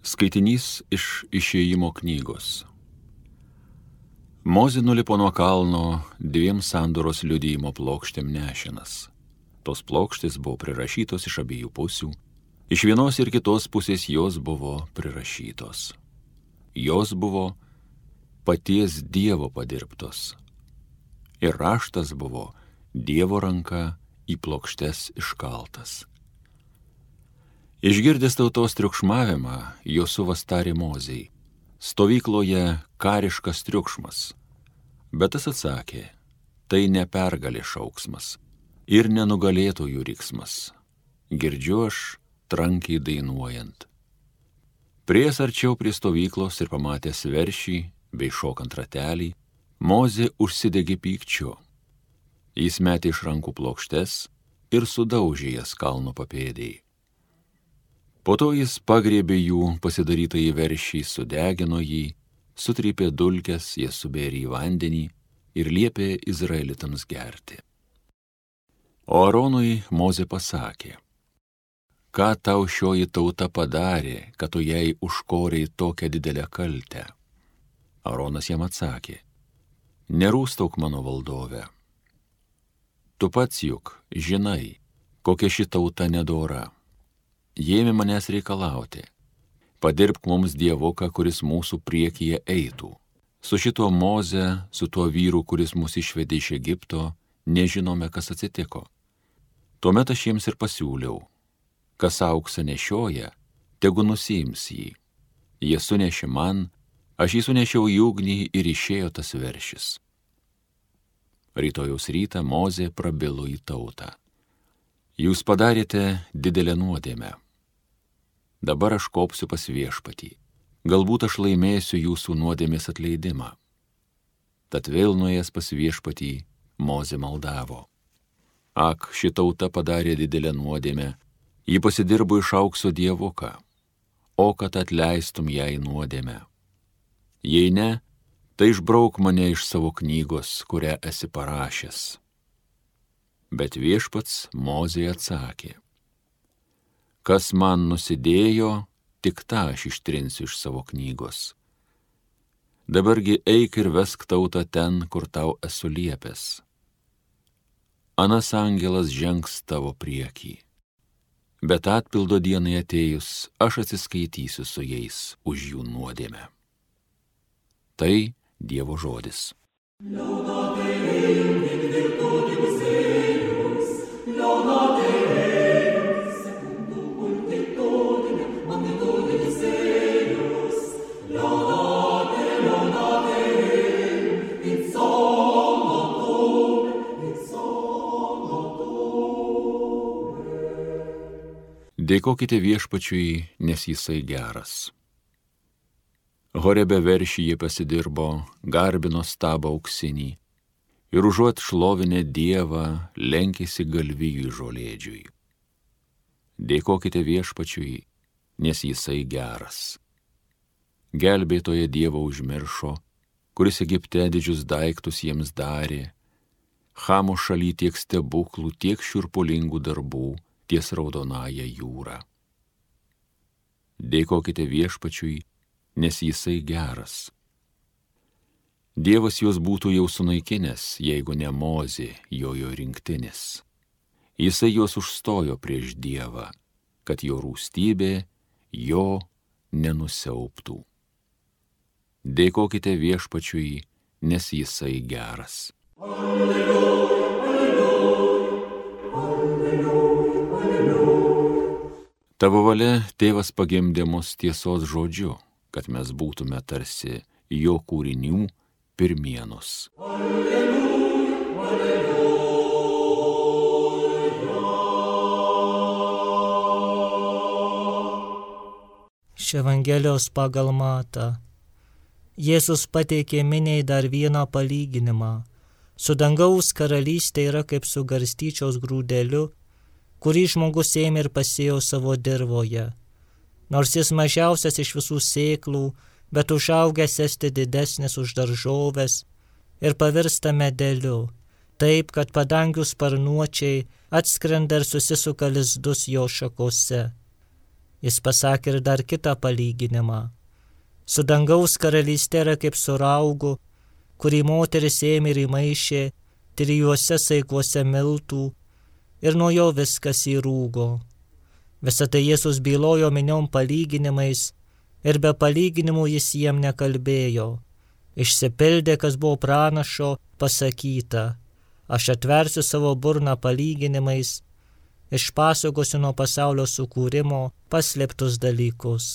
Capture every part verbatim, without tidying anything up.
Skaitinys iš Išėjimo knygos. Mozė nulipo nuo kalno dviem sandoros liudijimo plokštėm nešinas. Tos plokštės buvo prirašytos iš abiejų pusių. Iš vienos ir kitos pusės jos buvo prirašytos. Jos buvo paties Dievo padirbtos. Ir raštas buvo Dievo ranka į plokštes iškaltas. Išgirdęs tautos triukšmavimą, Josuvas tarė Mozei: stovykloje kariškas triukšmas. Bet tas atsakė: tai ne pergalė šauksmas ir nenugalėtojų riksmas. Girdžiu aš trankiai dainuojant. Priėjęs arčiau prie stovyklos ir pamatęs veršį bei šokant ratelį, Mozė užsidegė pykčiu. Jis metė iš rankų plokštes ir sudaužė jas kalno papėdėj. Po to jis pagriebė jų pasidarytą į veršį, sudegino jį, sutrypė dulkes, jas subėrė į vandenį ir liepė izraelitams gerti. O Aronui Mozė pasakė: ką tau šioji tauta padarė, kad tu jai užkorei tokią didelę kaltę? Aronas jam atsakė: nerūstauk mano valdove. Tu pats juk žinai, kokia ši tauta nedora. Jie ėmė manęs reikalauti: padirbk mums dievuką, kuris mūsų priekyje eitų. Su šituo Moze, su tuo vyru, kuris mus išvedė iš Egipto, nežinome, kas atsitiko. Tuomet aš jiems ir pasiūliau: kas auksą nešioja, tegu nusiims jį. Jie sunešė man, aš jį sunešiau į ugnį ir išėjo tas veršis. Rytojaus rytą Mozė prabilo į tautą: jūs padarėte didelę nuodėmę. Dabar aš kopsiu pas viešpatį. Galbūt aš laimėsiu jūsų nuodėmės atleidimą. Tad vėl nuėjęs pas viešpatį, Mozė maldavo: ak, ši tauta padarė didelę nuodėmę, ji pasidirbo iš aukso dievuką, o kad atleistum jai nuodėmę. Jei ne, tai išbrauk mane iš savo knygos, kurią esi parašęs. Bet viešpats Mozei atsakė: kas man nusidėjo, tik tą aš ištrinsiu iš savo knygos. Dabargi eik ir vesk tautą ten, kur tau esu liepęs. Anas angelas žengs tavo priekį. Bet atpildo dienai atėjus, aš atsiskaitysiu su jais už jų nuodėmę. Tai Dievo žodis. Dėkokite viešpačiui, nes jisai geras. Horebe veršį jie pasidirbo, garbino stabą auksinį ir užuot šlovinę Dievą, lenkėsi galvijui žolėdžiui. Dėkokite viešpačiui, nes jisai geras. Gelbėtoje Dievo užmiršo, kuris Egipte didžius daiktus jiems darė, Chamo šaly tiek stebuklų, tiek šiurpulingų darbų ties raudonąja jūra. Dėkokite viešpačiui, nes jisai geras. Dievas juos būtų jau sunaikinęs, jeigu ne Mozė, jojo rinktinis. Jisai juos užstojo prieš Dievą, kad jo rūstybė jo nenusiauptų. Dėkokite viešpačiui, nes jisai geras. Alleluja, alleluja, alleluja. Tavo valia, tėvas pagimdė mus tiesos žodžiu, kad mes būtume tarsi jo kūrinių pirmienos. Alleluja, alleluja. Iš Evangelijos pagal Matą. Jėzus pateikė miniai dar vieną palyginimą. Su dangaus karalystė yra kaip su garstyčios grūdeliu, kurį žmogus ėmė ir pasėjo savo dirvoje. Nors jis mažiausias iš visų sėklų, bet užaugęs esti didesnis už daržoves ir pavirsta medeliu, taip, kad padangių sparnuočiai atskrenda ir susisuka lizdus jo šakose. jis pasakė ir dar kitą palyginimą. Su dangaus karalystė yra kaip su raugu, kurį moteris ėmė ir įmaišė trijuose saikuose miltų ir nuo jo viskas įrūgo. Visą tai Jėzus bylojo miniom palyginimais ir be palyginimų jis jiem nekalbėjo. Išsipildė, kas buvo pranašo pasakyta. Aš atversiu savo burną palyginimais, išpasakosiu nuo pasaulio sukūrimo paslėptus dalykus.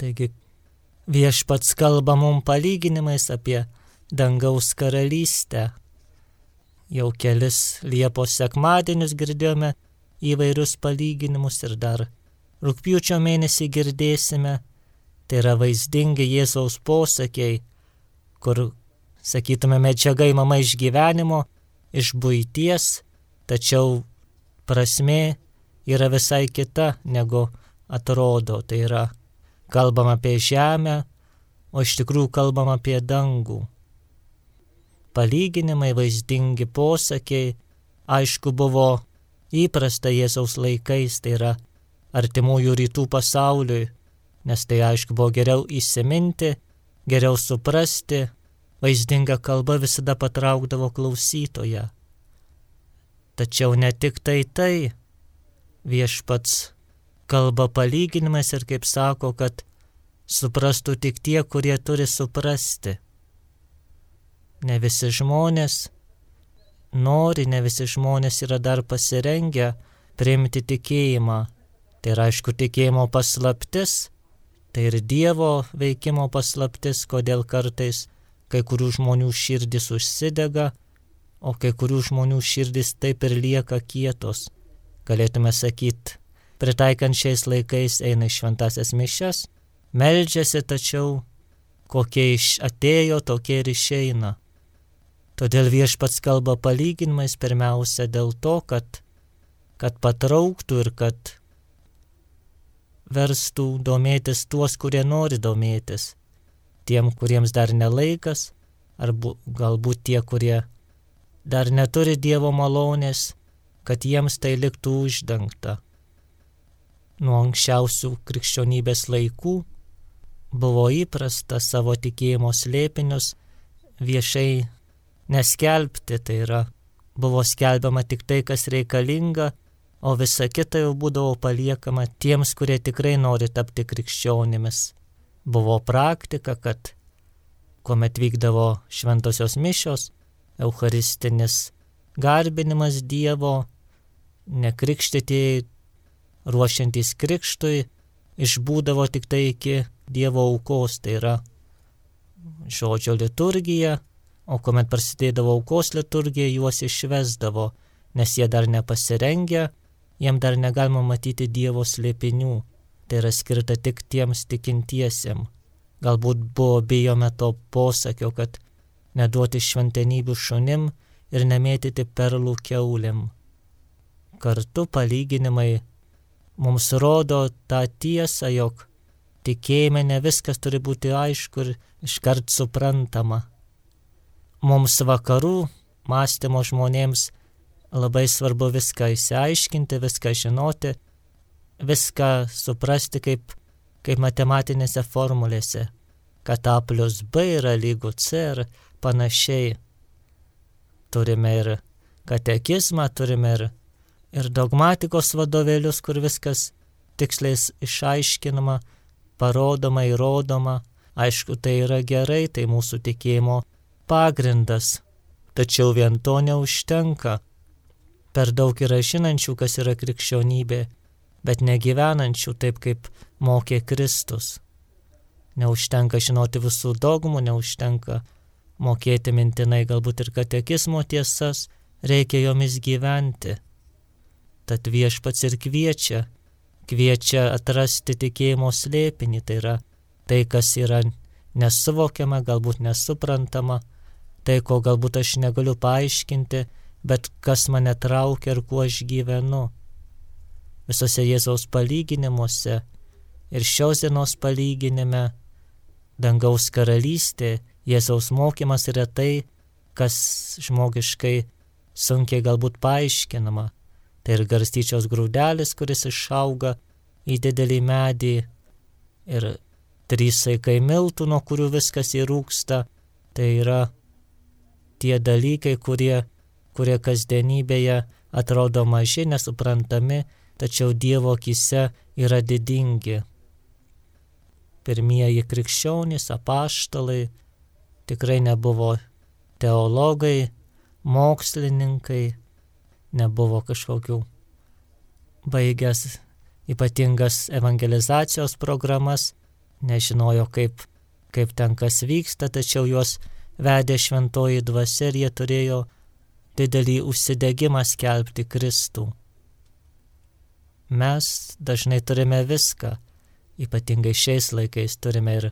Taigi viešpats kalba mums palyginimais apie dangaus karalystę. Jau kelis Liepos sekmadienius girdėjome įvairius palyginimus ir dar rugpjūčio mėnesį girdėsime. Tai yra vaizdingi Jėzaus posakiai, kur, sakytume, medžiaga imama iš gyvenimo, iš buities, tačiau prasmė yra visai kita, negu atrodo. Tai yra kalbam apie žemę, o iš tikrųjų kalbam apie dangų. Palyginimai, vaizdingi posakiai, aišku, buvo įprasta Jėzaus laikais, tai yra artimųjų rytų pasauliui, nes tai, aišku, buvo geriau įsiminti, geriau suprasti, vaizdinga kalba visada patraukdavo klausytoją. Tačiau ne tik tai tai, viešpats kalba palyginimais ir kaip sako, kad suprastų tik tie, kurie turi suprasti. Ne visi žmonės nori, ne visi žmonės yra dar pasirengę priimti tikėjimą. Tai yra, aišku, tikėjimo paslaptis, tai ir Dievo veikimo paslaptis, kodėl kartais kai kurių žmonių širdis užsidega, o kai kurių žmonių širdis taip ir lieka kietos. Galėtume sakyti, pritaikant šiais laikais eina į šventasias mišias, meldžiasi, tačiau kokie iš atėjo, tokie ir išeina. Todėl viešpats kalba palyginimais pirmiausia dėl to, kad, kad patrauktų ir kad verstų domėtis tuos, kurie nori domėtis. Tiem, kuriems dar nelaikas, ar bu, galbūt tie, kurie dar neturi Dievo malonės, kad jiems tai liktų uždengta. Nuo anksčiausių krikščionybės laikų buvo įprasta savo tikėjimo slėpinius viešai neskelbti, tai yra, buvo skelbiama tik tai, kas reikalinga, o visa kita jau būdavo paliekama tiems, kurie tikrai nori tapti krikščionimis. Buvo praktika, kad kuomet vykdavo šventosios mišios, eucharistinis garbinimas Dievo, nekrikštytieji ruošiantys krikštui išbūdavo tik tai iki Dievo aukos, tai yra žodžio liturgija, o kuomet prasidėdavo aukos liturgija, juos išvesdavo, nes jie dar nepasirengę, jiem dar negalima matyti Dievo slėpinių, tai yra skirta tik tiems tikintiesiem. Galbūt buvo bijome to posakio, kad neduoti šventenybių šunim ir nemėtyti perlų kiaulėm. Kartu palyginimai mums rodo tą tiesą, jog tikėjime ne viskas turi būti aišku ir iškart suprantama. Mums vakarų mąstymo žmonėms labai svarbu viską išsiaiškinti, viską žinoti, viską suprasti kaip, kaip matematinėse formulėse, kad A plus B yra lygu C ir panašiai. Turime ir katekizmą, turime ir, ir dogmatikos vadovėlius, kur viskas tiksliai išaiškinama, parodoma, įrodoma. Aišku, tai yra gerai, tai mūsų tikėjimo pagrindas, tačiau vien to neužtenka. Per daug yra žinančių, kas yra krikščionybė, bet negyvenančių taip, kaip mokė Kristus. Neužtenka žinoti visų dogmų, neužtenka mokėti mintinai galbūt ir katekizmo tiesas, reikia jomis gyventi. Tad viešpats ir kviečia, kviečia atrasti tikėjimo slėpinį, tai yra tai, kas yra nesuvokiama, galbūt nesuprantama, tai, ko galbūt aš negaliu paaiškinti, bet kas mane traukia ir kuo aš gyvenu. Visose Jėzaus palyginimuose ir šios dienos palyginime dangaus karalystė Jėzaus mokymas yra tai, kas žmogiškai sunkiai galbūt paaiškinama. Tai ir garstyčios grūdelis, kuris išauga į didelį medį, ir trys saikai miltų, nuo kurių viskas įrūksta. Tai yra tie dalykai, kurie, kurie kasdienybėje atrodo maži, nesuprantami, tačiau Dievo akyse yra didingi. Pirmieji krikščionys, apaštalai tikrai nebuvo teologai, mokslininkai, nebuvo kažkokių baigęs ypatingas evangelizacijos programas, nežinojo, kaip, kaip ten kas vyksta, tačiau juos vedė šventoji dvasia ir jie turėjo didelį užsidegimą skelbti Kristų. Mes dažnai turime viską, ypatingai šiais laikais turime ir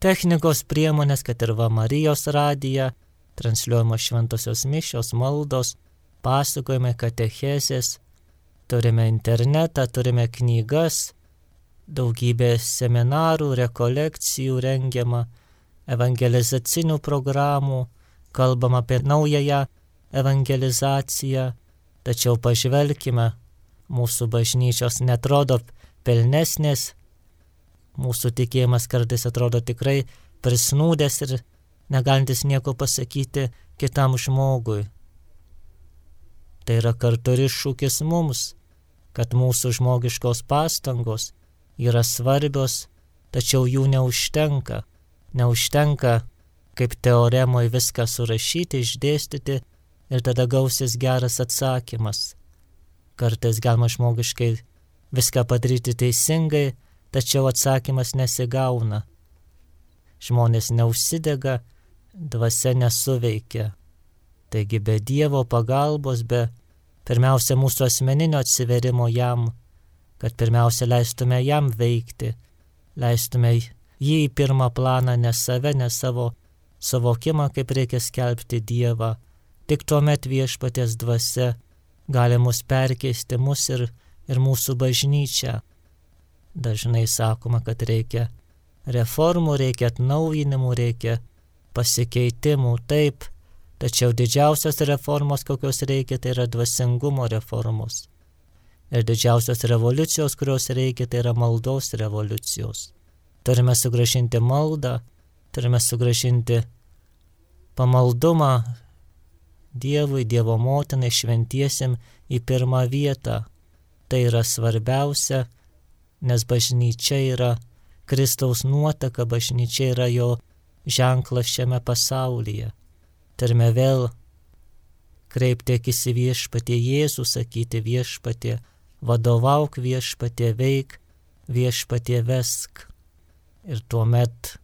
technikos priemonės, kad ir va Marijos radija, transliuojamos šventosios mišios, maldos, pasakojimai, katechezės, turime internetą, turime knygas, daugybė seminarų, rekolekcijų rengiama, evangelizacinių programų, kalbam apie naująją evangelizaciją, tačiau pažvelkime, mūsų bažnyčios netrodo pelnesnės, mūsų tikėjimas kartais atrodo tikrai prisnūdęs ir negalintis nieko pasakyti kitam žmogui. Tai yra kartu ir iššūkis mums, kad mūsų žmogiškos pastangos yra svarbios, tačiau jų neužtenka. Neužtenka kaip teoremoje viską surašyti, išdėstyti ir tada gausis geras atsakymas. Kartais galima žmogiškai viską padaryti teisingai, tačiau atsakymas nesigauna. Žmonės neužsidega, dvasia nesuveikia. Taigi be Dievo pagalbos, be pirmiausia mūsų asmeninio atsiverimo jam, kad pirmiausia leistume jam veikti, leistume jį į pirmą planą, ne save, ne savo suvokimą, kaip reikia skelbti Dievą. Tik tuomet viešpaties dvasia gali mus perkeisti, mus ir, ir mūsų bažnyčią. Dažnai sakoma, kad reikia reformų, reikia atnaujinimų, reikia pasikeitimų, taip, tačiau didžiausios reformos, kokios reikia, tai yra dvasingumo reformos. Ir didžiausios revoliucijos, kurios reikia, tai yra maldos revoliucijos. Turime sugrąžinti maldą, turime sugrąžinti pamaldumą Dievui, Dievo motinai, šventiesim į pirmą vietą. Tai yra svarbiausia, nes bažnyčia yra Kristaus nuotaka, bažnyčia yra jo ženklas šiame pasaulyje. Turime vėl kreipti akis į viešpatie Jėzų, sakyti viešpatie, vadovauk viešpatie, veik, viešpatie vesk. Ir tuomet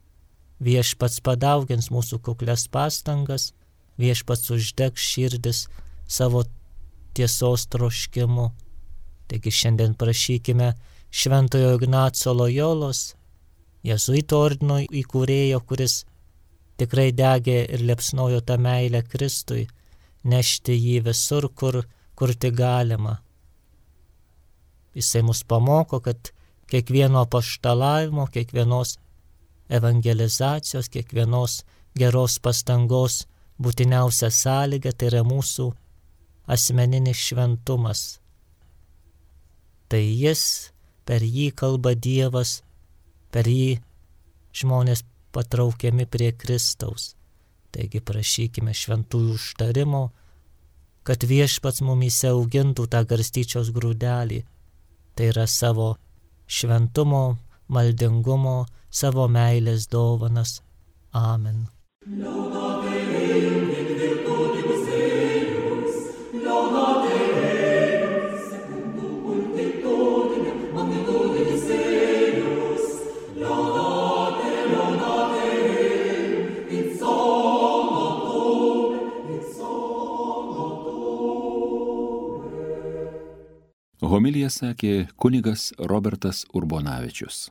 viešpats padaugins mūsų kuklias pastangas, viešpats uždegs širdis savo tiesos troškimu. Taigi šiandien prašykime Šventojo Ignaco Lojolos, Jėzuito ordino įkūrėjo, kuris tikrai degė ir liepsnojo tą meilę Kristui, nešti jį visur, kur, kur tik galima. Jisai mus pamoko, kad kiekvieno apaštalavimo, kiekvienos evangelizacijos, kiekvienos geros pastangos būtiniausia sąlyga tai yra mūsų asmeninis šventumas. Tai jis, per jį kalba Dievas, per jį žmonės patraukiami prie Kristaus. Taigi prašykime šventųjų užtarimo, kad viešpats mumyse augintų tą garstyčios grūdelį. Tai yra savo šventumo, maldingumo, savo meilės dovanas. Amen. Homiliją sakė kunigas Robertas Urbonavičius.